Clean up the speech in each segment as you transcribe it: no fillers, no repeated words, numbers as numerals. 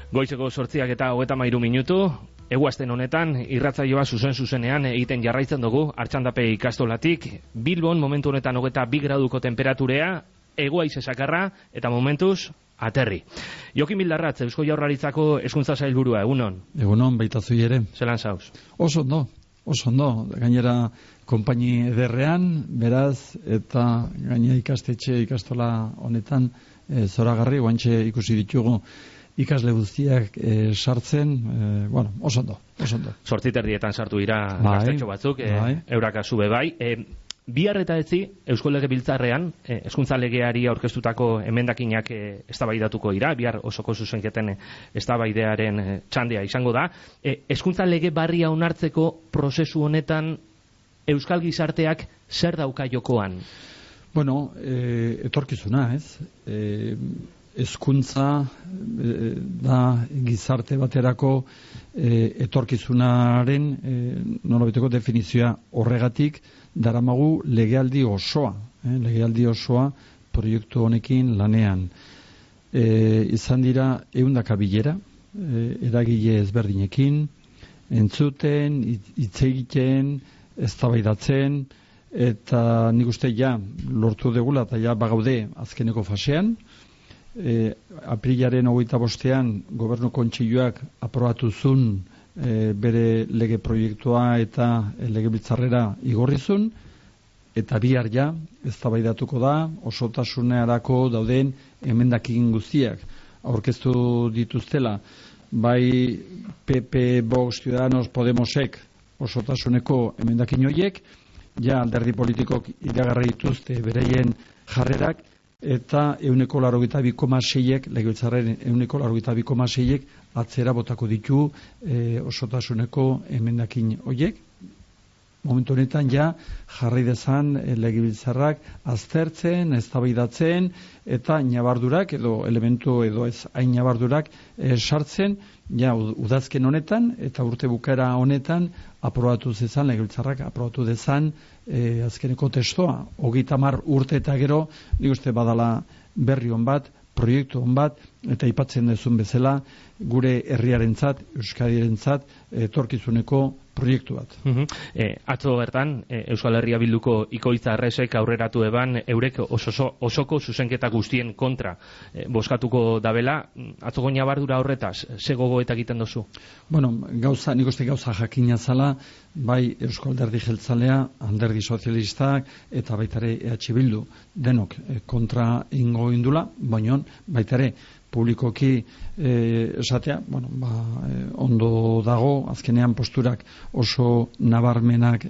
Goizeko 8:33 eguazten honetan, irratsaioa zuzenean egiten jarraitzen dugu, Artxandape ikastolatik, Bilbon momentu honetan 22 graduko temperaturea, hego-haize zakarra, eta momentuz, aterri. Jokin Bildarratz, Eusko Jaurlaritzako hezkuntza sailburua, egunon? Egunon, baita zui ere. Zelan zauz? Oso ondo. Gainera, konpaini ederrean, beraz, eta gaina ikastola honetan, zoragarri, guantxe ikusi ditugu, ikasle guztiak sartzen, oso ondo. 8:30 sartu dira gaztetxo batzuk, euraka zube bai. Bihar eta etzi, Eusko Legebiltzarrean, hezkuntza legeari aurkeztutako emendakinak eztabaidatuko dira, bihar osoko zuzenketen eztabaidearen txandea izango da. Hezkuntza lege barria onartzeko prozesu honetan Euskal Gizarteak zer dauka jokoan? Bueno, etorkizuna, ez? Hezkuntza da gizarte baterako etorkizunaren nolabiteko definizioa horregatik daramagu legealdi osoa proiektu honekin lanean. Izan dira 100 bilera, eragile ezberdinekin, entzuten, hitz egiten, eztabaidatzen, eta nik uste lortu degula eta bagaude azkeneko fasean. Aprilaren 25ean Gobernu Kontseiluak aprobatu zuen bere lege proiektua eta legebiltzarrera igorrizun, eta bihar eztabaidatuko da osotasunerako dauden emendakin guztiak aurkeztu dituztela, bai PP, Vox, Ciudadanos, Podemosek osotasuneko emendakin horiek, alderdi politikok iragarri dituzte bereien jarrerak, eta 82,6ek, legebiltzarren 82,6ek atzera botako ditu osotasuneko emendakin horiek. Momentu honetan jarri dezan legebiltzarrak aztertzen, eztabaidatzen eta ñabardurak edo elementu edo ez hain ñabardurak sartzen udazken honetan eta urte bukaera honetan aprobatu zezan, legebiltzarrak aprobatu dezan azkeneko testoa. 30 urte eta gero, nik uste badala berri hon bat, proiektu hon bat, eta aipatzen dezun bezala gure herriarentzat, Euskadirentzat etorkizuneko proiektu bat. Atzo bertan, Euskal Herria Bilduko Ikoitza Arresek aurreratu eban eurek osoko zuzenketa guztien kontra bozkatuko dabela. Atzoko ñabardura horretaz, ze gogoeta egiten dozu? Nik uste gauza jakina zala, bai Eusko Alderdi Jeltzalea, Alderdi Sozialistak eta baitare EH Bildu denok kontra ingo indula, baina baitare publikoki esatea, ondo dago, azkenean posturak oso nabarmenak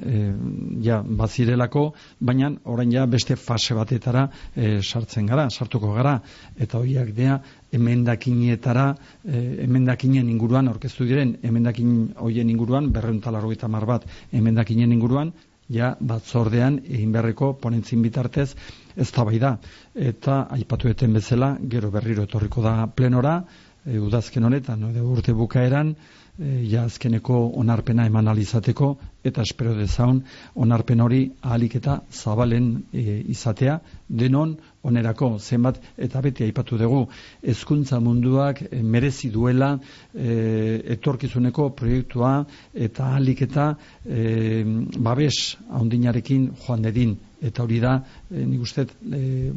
bazirelako, baina orain beste fase batetara sartuko gara, eta horiak dea emendakinetara, emendakinen inguruan, aurkeztu diren emendakin horien inguruan, 280 bat emendakinen inguruan, batzordean egin beharreko ponentzin bitartez eztabaida, eta aipatu eten bezala gero berriro etorriko da plenora, udazken honetan, urte bukaeran, azkeneko onarpena eman alizateko, eta espero dezaun onarpen hori ahalik eta zabalen izatea, denon onerako zenbat, eta beti aipatu dugu, hezkuntza munduak merezi duela etorkizuneko proiektua, eta ahalik eta babes haundinarekin joan dedin, eta hori da, nik uste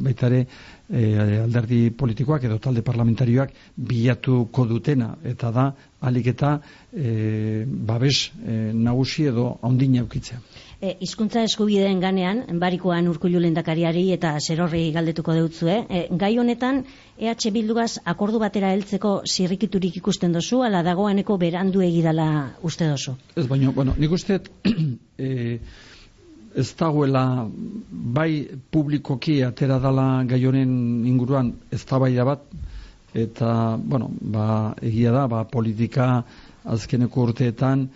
baitare alderdi politikoak edo talde parlamentarioak bilatuko dutena, eta da ahalik eta babes nagusi edo haundina eukitzea. Hizkuntza eskubideen ganean, barikoan Urkullu lehendakariari eta zerorri galdetuko deutzue, gai honetan EH Bildugaz akordu batera heltzeko zirrikiturik ikusten dozu, ala dagoeneko berandu egidala uste dozu? Ez baino, nik uste ez dagoela bai publikoki atera dala gai honen inguruan eztabaida bat, eta egia da, politika azkeneko urteetan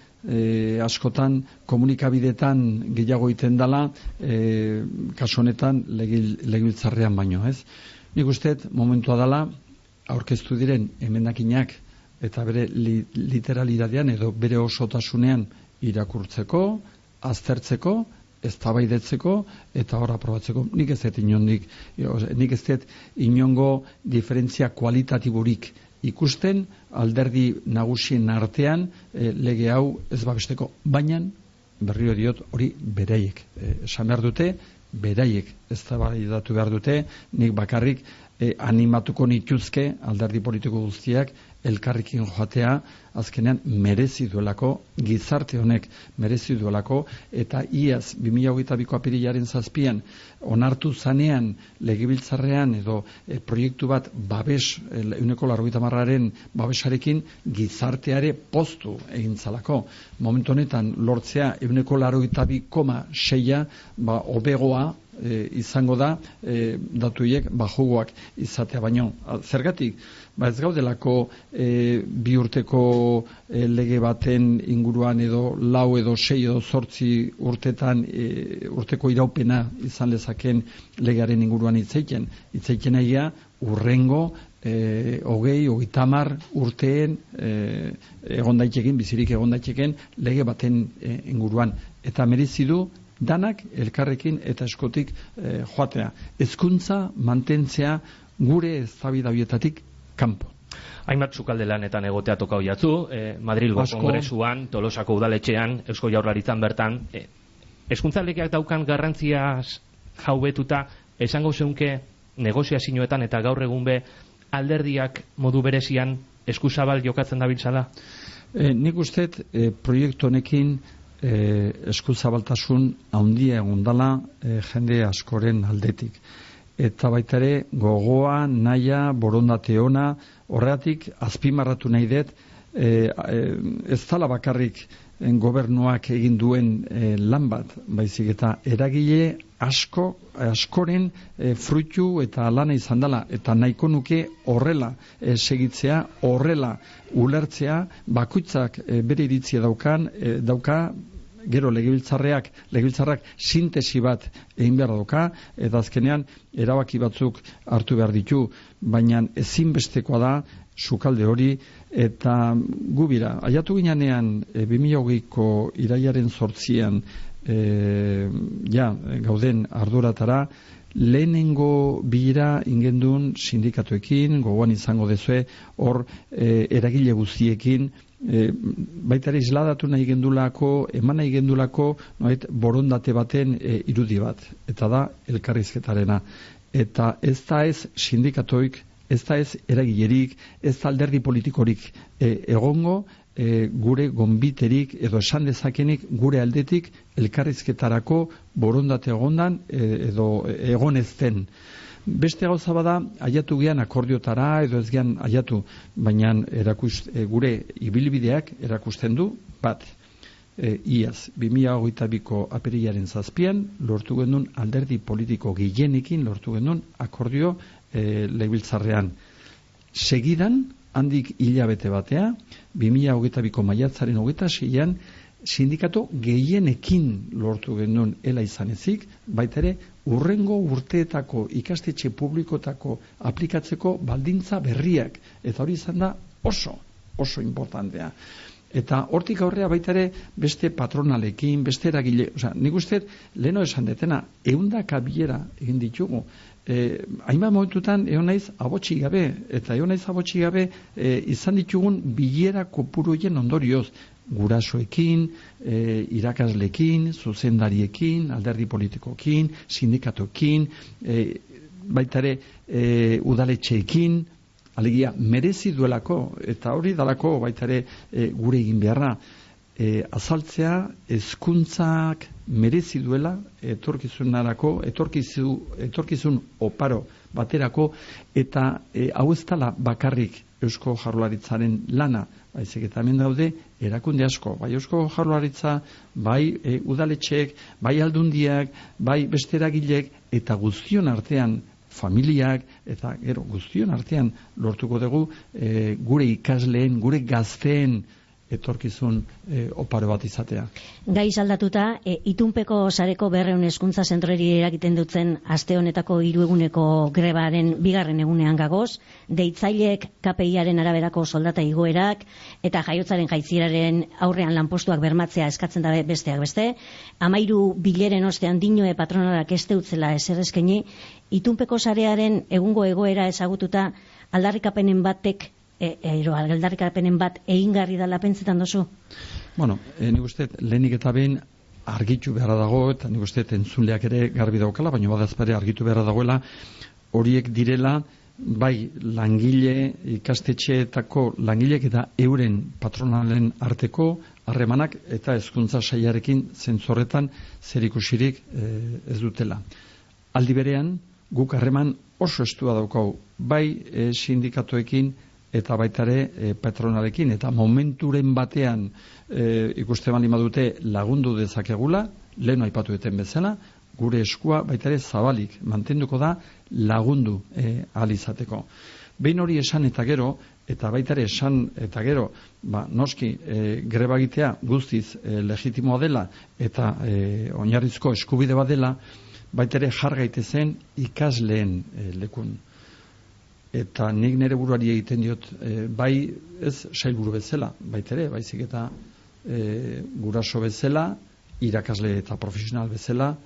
askotan komunikabidetan gehiago iten dela, kasu honetan legebiltzarrean baino, ez? Nik uste momentua dela aurkeztu diren emendakinak eta bere literalidadean edo bere osotasunean irakurtzeko, aztertzeko, eztabaidatzeko eta hor aprobatzeko. Nik ez dut inongo diferentzia kualitatiborik ikusten alderdi nagusien artean lege hau ez babesteko, baina berriro diot hori beraiek esan behar dute, beraiek eztabaidatu behar dute, nik bakarrik animatuko nituzke alderdi politiko guztiak elkarrekin joatea, azkenean merezi duelako, gizarte honek merezi duelako, eta iaz 2022ko apirilaren 7 onartu zanean legebiltzarrean edo proiektu bat babes, 180aren babesarekin gizarteare poztu egin zalako. Momentu honetan lortzea 182,6 hobegoa izango da datuiek bajugoak izatea baino. Zergatik? Ez gaudelako bi urteko lege baten inguruan edo 4 edo 6 edo 8 urtetan urteko iraupena izan lezaken legearen inguruan hitzeiten egia urrengo 20-30 urteen egon daiteken, bizirik egon daiteken lege baten inguruan. Eta merezi du danak elkarrekin eta eskotik joatea. Hezkuntza mantentzea gure eztabaida horietatik kanpo. Hainbat sukalde lanetan egotea toka hoiatzu, Madrilgo Kongresuan, Tolosako udaletxean, Eusko Jaurlaritzan bertan, hezkuntza legeak daukan garrantziaz jaubetuta, esango zeunke negoziazioetan eta gaur egun be alderdiak modu berezian eskuzabal jokatzen dabiltzala? Nik usteet proiektu honekin eskuzabaltasun handia egondala jende askoren aldetik. Eta baita ere gogoa, nahia, borondate ona, horregatik azpimarratu nahi dut, ez dala bakarrik gobernuak egin duen lan bat, baizik eta eragile askoren fruitu eta lana izan dela, eta nahiko nuke horrela segitzea, horrela ulertzea, bakoitzak bere iritzia dauka, gero legebiltzarrak sintesi bat egin behar dauka, eta azkenean erabaki batzuk hartu behar ditu, baina ezinbestekoa da sukalde hori, eta gubira, aiatu ginean 2020ko irailaren 8 gauden arduratara, lehenengo bilera ingendun sindikatuekin, gogoan izango dezue, hor eragile guztiekin, baita ere isladatu nahi gendulako, eman nahi gendulako borondate baten irudi bat, eta da elkarrizketarena. Eta ez da ez sindikatoik, ez da ez eragilerik, ez da alderdi politikorik egongo, gure gonbiterik edo esan dezakenik gure aldetik elkarrizketarako borondate egondan edo egon ez den. Beste gauza bada, aiatu gean akordiotara edo ez gean aiatu, baina gure ibilbideak erakusten du bat. Iaz, 2022ko apirilaren 7 lortu genuen alderdi politiko gehienekin lortu genuen akordio legebiltzarrean. Segidan, handik hilabete batea, 2022ko maiatzaren 26an, sindikatu gehienekin lortu genuen ela izan ezik, baita ere, urrengo urteetako ikastetxe publikotako aplikatzeko baldintza berriak. Eta hori izan da oso importantea. Eta hortik aurrea baita ere beste patronalekin, beste eragile, nik uste leheno esan detena, 100 bilera egin ditugu. Hainbat momentutan egon naiz abotsi gabe, eta egon naiz abotsi gabe izan ditugun bilera kopuroien ondorioz, gurasoekin, irakaslekin, zuzendariekin, alderdi politikoekin, sindikatoekin, baita ere udaletxeekin, alegia merezi duelako, eta hori dalako baita ere gure egin beharra, azaltzea hezkuntzak merezi duela etorkizun oparo baterako, eta hau ez dela bakarrik Eusko Jaurlaritzaren lana, baizik eta hemen daude erakunde asko, bai Eusko Jaurlaritza, bai udaletxeek, bai aldundiak, bai beste eragileek, eta guztion artean familiak, eta gero guztion artean lortuko dugu gure ikasleen, gure gazteen etorkizun oparo bat izatea. Gaiz aldatuta, itunpeko sareko 200 hezkuntza zentrori eragiten dutzen aste honetako 3 eguneko grebaren 2. egunean gagoz, deitzaileek KPIaren araberako soldata igoerak eta jaiotzaren jaitzieraren aurrean lanpostuak bermatzea eskatzen dabe besteak beste, 13 bileren ostean dinoe patronalak este utzela ezer eskaini, itunpeko sarearen egungo egoera ezagututa aldarrikapenen batek aldarrikapenen bat egingarri dela pentsetan dozu? Bueno, nik uste lehenik eta behin argitu beharra dago, eta nik uste entzunleak ere garbi daukala, baina badazpare argitu beharra dagoela, horiek direla bai langile, ikastetxeetako langilek eta euren patronalen arteko harremanak eta hezkuntza sailarekin zentzorretan zerikusirik ez dutela. Aldi berean, guk harreman oso estua daukau, bai sindikatoekin eta baitare patronalekin, eta momenturen batean ikuste bali madute lagundu dezakegula, lehen aipatu eten bezala, gure eskua baitare zabalik mantenduko da lagundu ahal izateko. Behin hori esan eta gero, eta baitare esan eta gero, noski greba egitea guztiz legitimoa dela eta oinarrizko eskubide bat dela, baitare jar gaitezen ikasleen lekun. Eta nik nire buruari egiten diot, bai ez sailburu bezala, baitere, baizik eta guraso bezala, irakasle eta profesional bezala,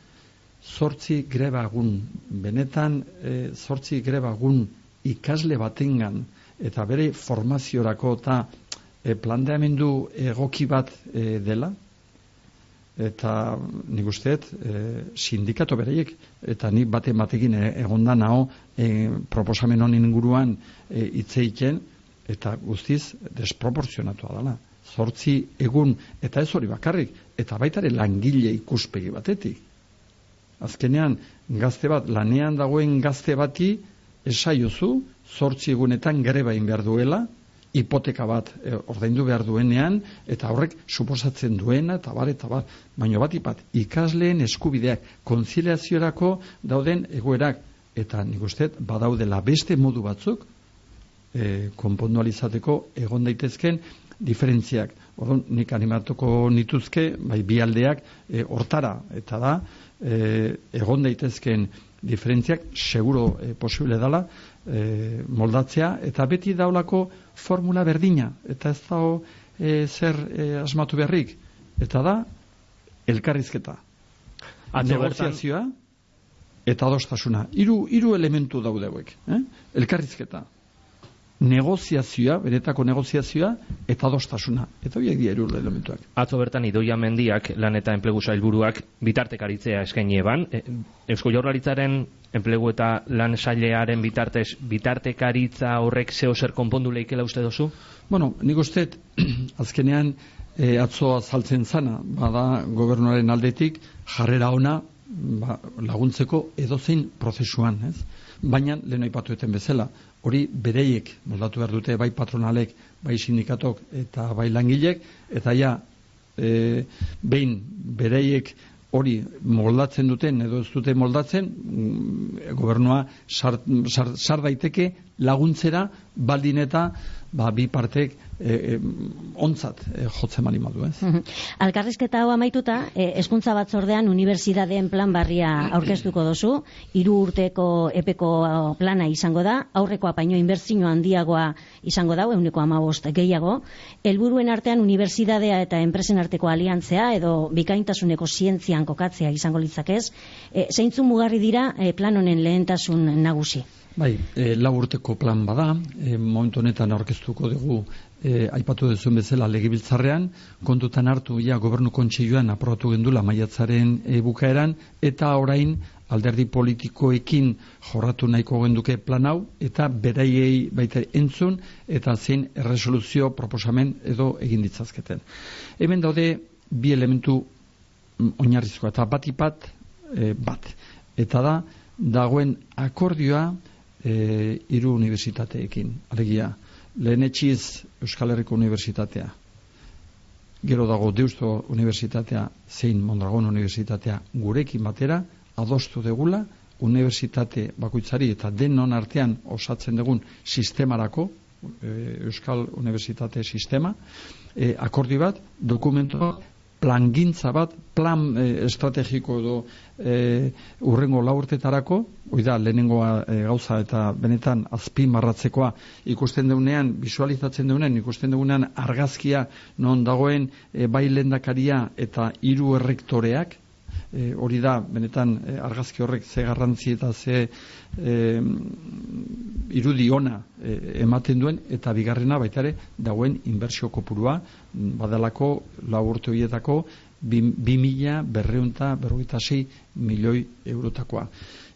8 greba egun, benetan 8 greba egun ikasle batengan, eta bere formaziorako eta planteamendu egoki bat dela, eta nik usteet sindikato bereiek, eta nik batekin egonda nao proposamen honen inguruan hitzeiten, eta guztiz desproporzionatua dela. 8 egun, eta ez hori bakarrik, eta baitare langile ikuspegi batetik. Azkenean, gazte bat, lanean dagoen gazte bati esaiozu 8 egunetan greba egin behar duela, hipoteka bat ordaindu behar duenean, eta horrek suposatzen duena, eta bar, baino bat ikasleen eskubideak, konziliaziorako dauden egoerak, eta nik uste badaudela beste modu batzuk, konpondualizateko egon daitezken diferentziak. Orduan, nik animatuko nituzke, bai bi aldeak hortara, eta da, egon daitezken diferentziak seguro posible dela moldatzea, eta beti daulako formula berdina, eta ez dago zer asmatu beharrik, eta da elkarrizketa, negoziazioa eta adostasuna. Hiru elementu daudeuek, elkarrizketa, negoziazioa, benetako negoziazioa eta adostasuna. Eta horiek dira 3 elementuak. Atzo bertan Idoia Mendiak, lan eta enplegu sailburuak, bitartekaritzea eskaini eban. Eusko Jaurlaritzaren enplegu eta lan sailearen bitartez, bitartekaritza horrek zeo zer konpondu leikela uste dozu? Bueno, nik uste azkenean atzo azaltzen zana, bada gobernuaren aldetik jarrera ona laguntzeko edozein prozesuan, ez? Baina, lehen aipatueten bezala, hori bereiek moldatu behar dute, bai patronalek, bai sindikatok eta bai langilek, eta ja, behin bereiek hori moldatzen duten edo ez dute moldatzen, gobernua sar daiteke laguntzera baldin eta bi partek ontzat jotzen bali madu, ez? Alkarrizketa hau amaituta, hezkuntza batzordean unibertsitateen plan berria aurkeztuko dozu, 3 urteko epeko plana izango da, aurrekoa baino inbertsio handiagoa izango da, 15% gehiago, helburuen artean unibertsitatea eta enpresen arteko aliantzea edo bikaintasuneko zientzian kokatzea izango litzakez, zeintzuk mugarri dira plan honen lehentasun nagusi? Bai, 4 urteko plan bada, momentu honetan aurkeztuko dugu aipatu duzuen bezala legebiltzarrean, kontutan hartu gobernu kontseiluan aprobatu gendula maiatzaren bukaeran, eta orain alderdi politikoekin jorratu nahiko genduke plan hau, eta beraiei baita entzun, eta zein erresoluzio proposamen edo egin ditzazketen. Hemen daude 2 elementu oinarrizkoa, eta bat, eta da, dagoen akordioa 3 unibertsitateekin, alegia, lehenetxiz Euskal Herriko Unibertsitatea, gero dago Deusto Unibertsitatea, zein Mondragon Unibertsitatea gurekin batera, adostu degula, unibertsitate bakoitzari eta denon artean osatzen dugun sistemarako, Euskal Unibertsitate sistema, akordi bat, dokumentu plangintza bat, plan estrategiko edo urrengo 4 urtetarako, hoi da, lehenengoa gauza eta benetan azpimarratzekoa ikusten deunean, visualizatzen deunean, ikusten deunean argazkia non dagoen bai lehendakaria eta 3 errektoreak, hori da, benetan argazki horrek ze garrantzi eta ze irudi ona ematen duen, eta bigarrena baita ere dagoen inbertsio kopurua badalako 4 urte horietako 2.246 milioi eurotakoa.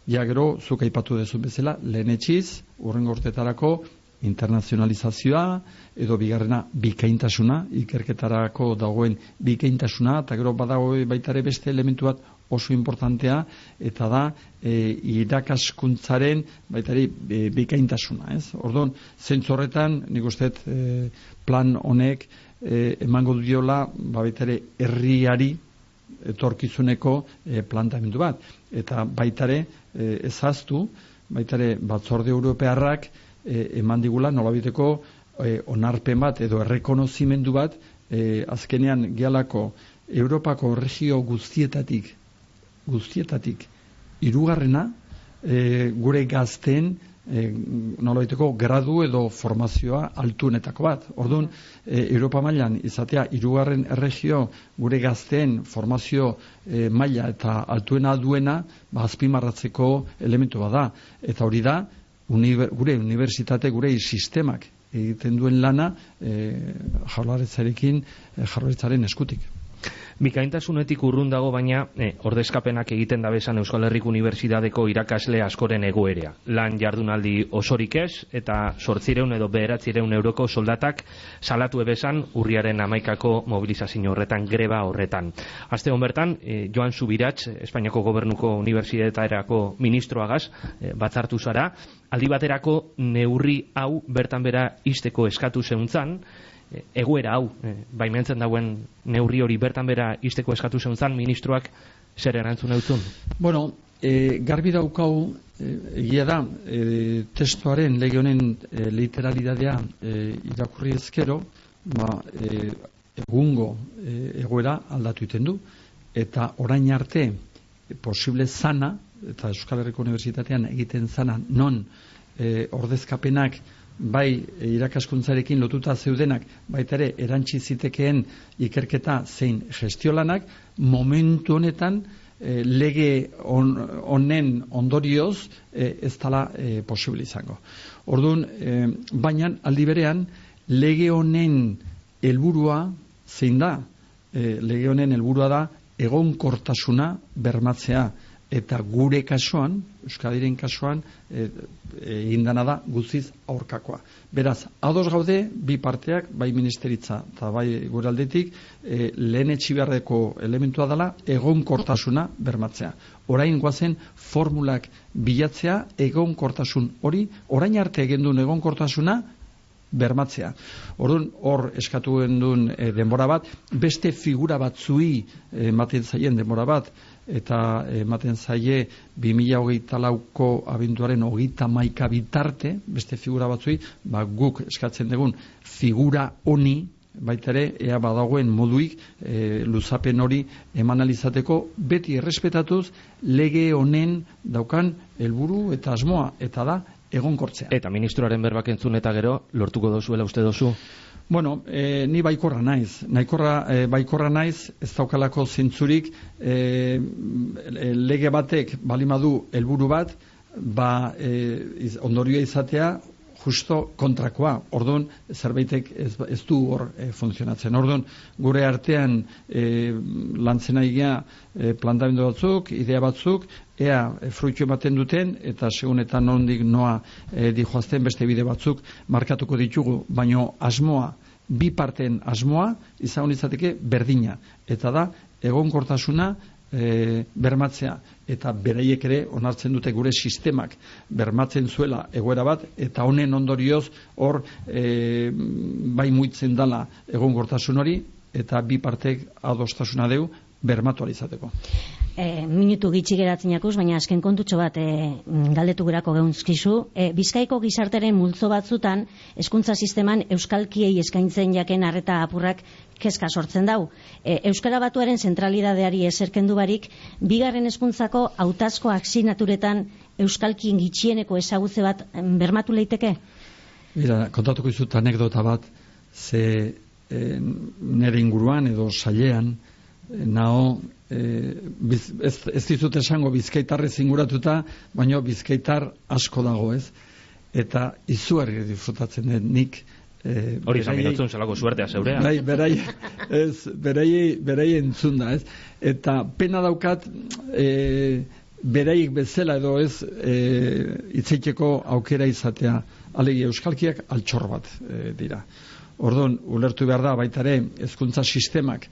Ja gero, zuk aipatu dezun bezala, lehenetxiz, urrengo urtetarako internazionalizazioa, edo bigarrena bikaintasuna, ikerketarako dagoen bikaintasuna, eta gero badago baitare beste elementu bat oso importantea, eta da irakaskuntzaren baitare bikaintasuna. Orduan, zentzu horretan, nik uste plan honek emango diola baitare herriari etorkizuneko plantamendu bat. Eta baitare ezaztu, baitare batzorde europearrak eman digula nolabiteko onarpen bat edo errekonozimendu bat azkenean gehalako Europako regio guztietatik hirugarrena gure gazteen nolabaiteko gradu edo formazioa altuenetako bat. Orduan, Europa mailan izatea hirugarren erregio gure gazteen formazio maila eta altuena duena azpimarratzeko elementu bada. Eta hori da, gure unibertsitate, gure sistemak egiten duen lana jaurlaritzaren eskutik. Bikaintasunetik urrun dago, baina ordezkapenak egiten dabesan Euskal Herriko Unibertsitateko irakasle askoren egoerea. Lan jardunaldi osorik ez, eta 800 edo 900 euroko soldatak salatu ebesan urriaren 11ko mobilizazio horretan, greba horretan. Aste hon bertan, Joan Subirats, Espainiako Gobernuko Unibertsitaterako ministroagaz, batzartu zara, aldi baterako neurri hau bertan bera izteko eskatu zeuntzan, egoera hau, baimentzen dauen neurri hori bertan bera izteko eskatu zeuntzan, ministroak zer erantzun eutzun? Bueno, garbi daukau, egia da, testuaren lege honen literalidadea irakurri ezkero, egungo egoera aldatu iten du, eta orain arte posible zana, eta Euskal Herriko Unibertsitatean egiten zana, non ordezkapenak bai irakaskuntzarekin lotuta zeudenak, baita ere erantsi zitekeen ikerketa zein gestiolanak, momentu honetan lege honen ondorioz ez dela posible izango. Orduan, baina aldi berean lege honen helburua zein da? Lege honen helburua da egonkortasuna bermatzea, eta gure kasuan, Euskadiren kasuan, egindana da guztiz aurkakoa. Beraz, ados gaude, bi parteak, bai ministeritza eta bai gure aldetik, lehen etxibeharreko elementua dela egonkortasuna bermatzea. Orain goazen formulak bilatzea egonkortasun hori, orain arte egin duen egonkortasuna bermatzea. Orduan, hor eskatu genduen denbora bat, beste figura batzui ematen zaien denbora bat, eta ematen zaie 2024ko abenduaren 31 bitarte, beste figura batzui, guk eskatzen dugun figura honi, baita ere, ea badagoen moduik luzapen hori eman alizateko, beti errespetatuz lege honen daukan helburu eta asmoa, eta da egonkortzea. Eta ministroaren berbak entzun eta gero, lortuko dozuela uste dozu? Bueno, ni baikorra naiz. Baikorra naiz, ez daukalako zentzurik lege batek balimadu helburu bat, ondorioa izatea justo kontrakoa. Orduan, zerbaitek ez du hor funtzionatzen. Orduan, gure artean lantzen aigea plantamendu batzuk, idea batzuk, ea fruitu ematen duten, eta segunetan nondik noa dijoazten beste bide batzuk markatuko ditugu, baino asmoa, bi parteen asmoa, izan izateke berdina. Eta da, egonkortasuna bermatzea, eta beraiek ere onartzen dute gure sistemak bermatzen zuela egoera bat, eta honen ondorioz hor bai muitzen dala egonkortasun hori, eta bi partek adostasuna deu bermatu alizateko. Minutu gitxi geratzen jakuz, baina azken kontutxo bat galdetu gerako geuntzkizu. Bizkaiko gizarteren multzo batzutan, hezkuntza sisteman euskalkiei eskaintzen jaken arreta apurrak kezka sortzen dau. Euskara Batuaren zentralidadeari eserkendu barik, bigarren hezkuntzako hautazko aksignaturetan euskalkien gitxieneko ezagutze bat bermatu leiteke? Mira, kontatuko izut anekdota bat, ze nire inguruan edo sailean, nao ez dizut esango bizkaitarrez inguratuta, baina bizkaitar asko dago, ez? Eta izugarri disfrutatzen dut nik. Hori izan minutzen zelako suertea zeurea. Bai, berai entzun da, ez? Eta pena daukat, beraik bezala edo ez hitzeiteko aukera izatea. Alegi euskalkiak altxor bat dira. Orduan, ulertu behar da, baitare, hezkuntza sistemak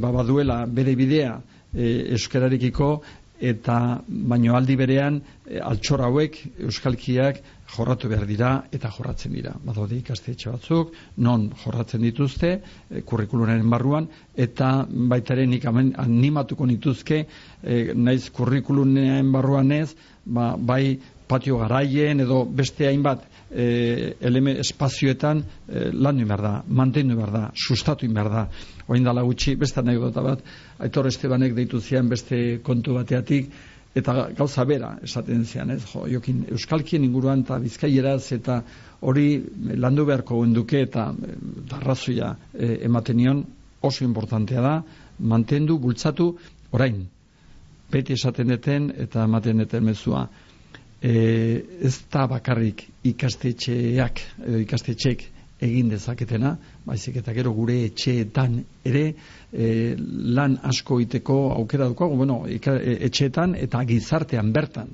baduela bere bidea euskararekiko, eta baino aldi berean altxor hauek euskalkiak jorratu behar dira eta jorratzen dira. Badaude ikastetxe batzuk, non jorratzen dituzte, kurrikulunaren barruan, eta baitare nik animatuko nituzke, naiz kurrikulunaren barruan ez, bai patio garaien edo beste hainbat espazioetan landu behar da, mantendu behar da, sustatu behar da. Oin dala gutxi, beste anekdota bat, Aitor Estebanek deitu zian beste kontu bateatik, eta gauza bera esaten zian, ez? Jokin euskalkien inguruan eta bizkaieraz eta hori landu beharko genduke eta arrazoia ematen nion, oso importantea da, mantendu, bultzatu, orain, beti esaten deten eta ematen deten mezua. Ez da bakarrik ikastetxeak ikastetxek egin dezaketena, baizik eta gero gure etxeetan ere lan asko iteko aukera dukago, etxeetan eta gizartean bertan,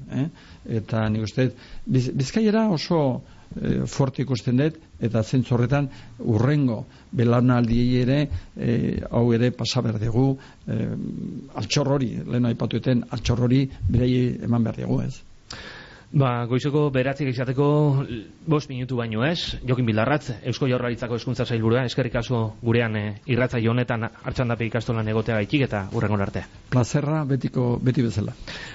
eta nik uste Bizkaiera oso fuerte ikusten dut, eta zentzu horretan urrengo belaunaldiei ere hau ere pasa behar dugu, altxor hori, lehen aipatueten altxor hori berei eman behar dugu, ez? Goizeko 9 izateko 5 minutu baino ez, Jokin Bildarratz, Eusko Jaurlaritzako Hezkuntza Sailburua, eskerrik asko gurean irratsaio honetan Artxandape ikastolan egoteagaitik eta hurrengo arte. Plazerra beti bezala.